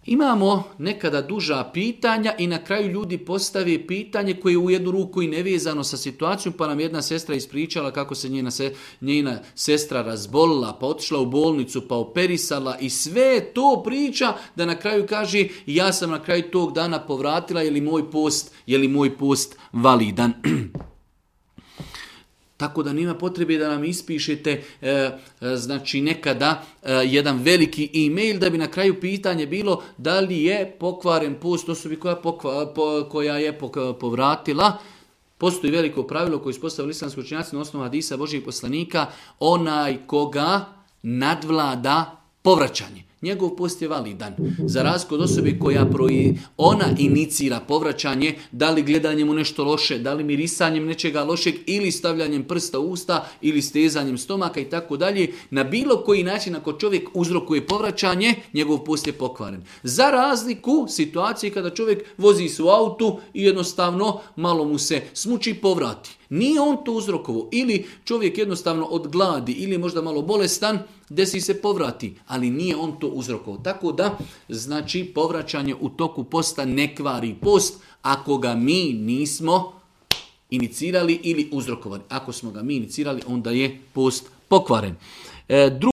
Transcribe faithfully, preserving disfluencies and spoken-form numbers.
Imamo nekada duža pitanja i na kraju ljudi postave pitanje koje je u jednu ruku i nevezano sa situacijom, pa nam jedna sestra ispričala kako se njena, se, njena sestra razbolila, pa otišla u bolnicu, pa operisala i sve to priča da na kraju kaže ja sam na kraju tog dana povratila, je li moj post, je li moj post validan. Tako da nema potrebe da nam ispišete e, e, znači nekada e, jedan veliki e-mail da bi na kraju pitanje bilo da li je pokvaren post osobi koja, pokva, po, koja je pok, povratila. Postoji veliko pravilo koje ispostavili islamski učenjaci na osnovu hadisa Božjih poslanika, onaj koga nadvlada povraćanje. Njegov post je validan. Za razliku od osobe koja proji, ona inicira povraćanje, da li gledanjem u nešto loše, da li mirisanjem nečega lošeg ili stavljanjem prsta u usta ili stezanjem stomaka i tako dalje. Na bilo koji način ako čovjek uzrokuje povraćanje, njegov post je pokvaren. Za razliku situacije kada čovjek vozi se u autu i jednostavno malo mu se smuči i povrati. Nije on to uzrokovao. Ili čovjek jednostavno od gladi ili možda malo bolestan, desi se povrati, ali nije on to uzrokovao. Tako da, znači, povraćanje u toku posta ne kvari post ako ga mi nismo inicirali ili uzrokovali. Ako smo ga mi inicirali, onda je post pokvaren. E, drugi